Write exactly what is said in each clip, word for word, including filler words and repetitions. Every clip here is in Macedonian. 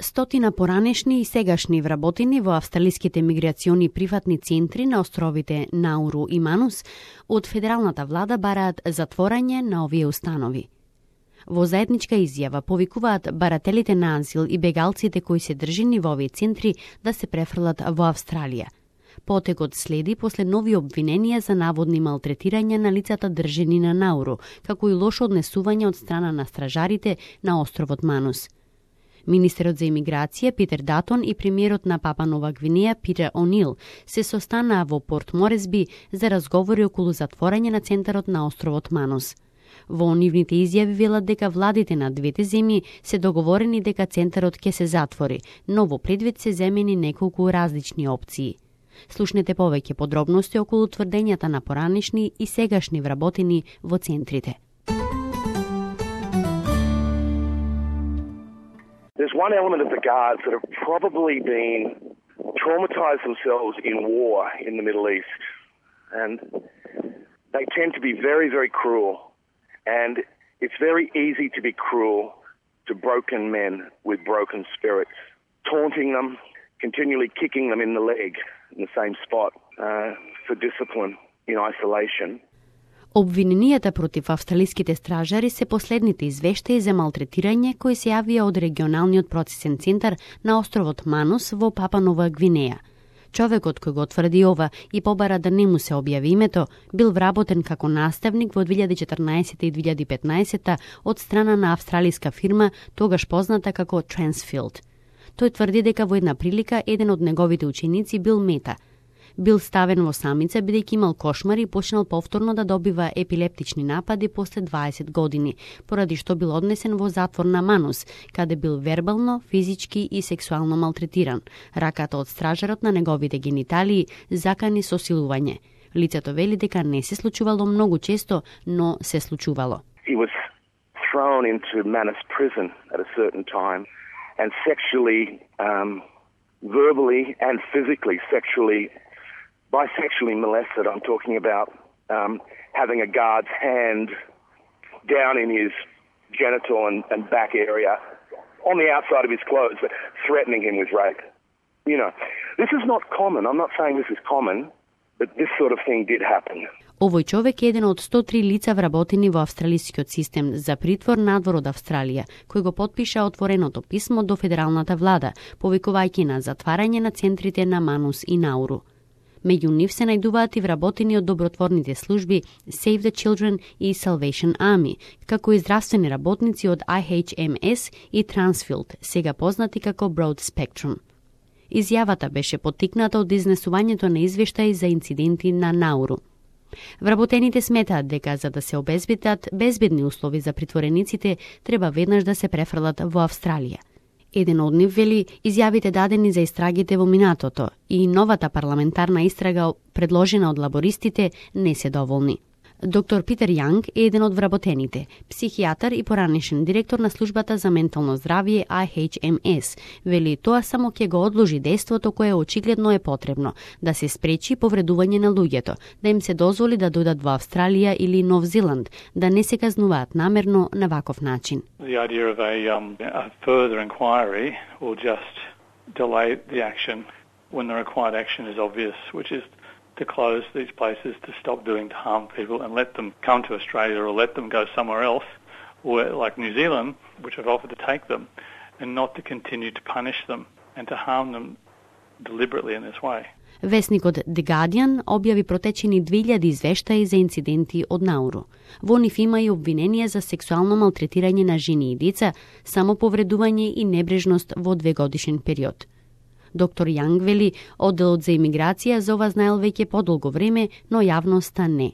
Стотина поранешни и сегашни вработени во австралиските миграциони приватни центри на островите Науру и Манус од федералната влада бараат затворање на овие установи. Во заедничка изјава повикуваат барателите на азил и бегалците кои се држени во овие центри да се префрлат во Австралија. Потекот следи после нови обвиненија за наводни малтретирања на лицата држени на Науру, како и лошо однесување од страна на стражарите на островот Манус. Министерот за имиграција Питер Датон и премиерот на Папа Нова Гвинеја Питер О'Нил се состанаа во Порт Моресби за разговори околу затворање на центарот на островот Манус. Во нивните изјави велат дека владите на двете земји се договорени дека центарот ќе се затвори, но во предвид се земени неколку различни опции. Слушнете повеќе подробности околу тврдењата на поранешни и сегашни вработени во центрите. There's one element of the guards that have probably been traumatized themselves in war in the Middle East. And they tend to be very, very cruel. And it's very easy to be cruel to broken men with broken spirits, taunting them, continually kicking them in the leg in the same spot uh, for discipline in isolation. Обвиненијата против австралиските стражари се последните извештаи за малтретирање кои се јавија од регионалниот процесен центар на островот Манус во Папа Нова Гвинеја. Човекот кој го тврди ова и побара да не му се објави името, бил вработен како наставник во две илјади и четрнаесетта и две илјади и петнаесетта од страна на австралиска фирма, тогаш позната како Transfield. Тој тврди дека во една прилика еден од неговите ученици бил мета. Бил ставен во самица бидејќи имал кошмари и почнал повторно да добива епилептични напади после дваесет години, поради што бил однесен во затвор на Манус, каде бил вербално, физички и сексуално малтретиран. Раката од стражарот на неговите гениталии закани со силување. Лицето вели дека не се случувало многу често, но се случувало. He was thrown into Manus prison at a certain time and sexually, um, verbally and physically sexually bisexually molested. I'm talking about um, having a guard's hand down in his genital and, and back area on the outside of his clothes, but threatening him with rape. You know, this is not common. I'm not saying this is common, but this sort of thing did happen. Овој човек е еден од сто три лица вработени во австралискиот систем за притвор надвор од Австралија, кој го потпиша отвореното писмо до федералната влада, повикувајќи на затварање на центрите на Манус и Науру. Меѓу нив се најдуваат и вработени од добротворните служби Save the Children и Salvation Army, како и здравствени работници од I H M S и Transfield, сега познати како Broad Spectrum. Изјавата беше поттикната од изнесувањето на извештаи за инциденти на Науру. Вработените сметаат дека за да се обезбедат безбедни услови за притворениците, треба веднаш да се префрлат во Австралија. Еден од нив вели изјавите дадени за истрагите во минатото и новата парламентарна истрага предложена од лабористите не се доволни. Доктор Питер Јанг е еден од вработените, психијатар и поранешен директор на службата за ментално здравје I H M S. Вели тоа само ќе го одложи дејството кое очигледно е потребно, да се спречи повредување на луѓето, да им се дозволи да дојдат во Австралија или Нов Зеланд, да не се казнуваат намерно на ваков начин. The idea of a, um, a further inquiry will just delay the action when the required action is obvious, which is to close these places, to stop doing to harm people and let them come to Australia or let them go somewhere else, or like New Zealand, which have offered to take them, and not to continue to punish them and to harm them deliberately in this way. Весникот The Guardian објави протечени две илјади извештаи за инциденти од Науру. Во нив има и обвиненија за сексуално малтретирање на жени и деца, самоповредување и небрежност во двегодишен период. Доктор Јанг вели, одделот за имиграција за ова знаел веќе подолго време, но јавноста не.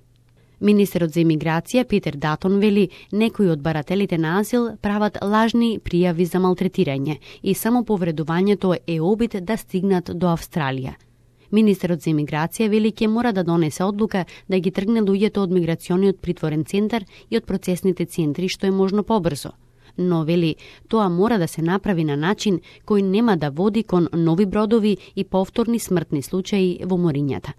Министерот за имиграција Питер Датон вели, некои од барателите на азил прават лажни пријави за малтретирање и само повредувањето е обид да стигнат до Австралија. Министерот за имиграција вели ќе мора да донесе одлука да ги тргне луѓето од миграциониот притворен центар и од процесните центри што е можно побрзо. Но вели, тоа мора да се направи на начин кој нема да води кон нови бродови и повторни смртни случаи во морињата.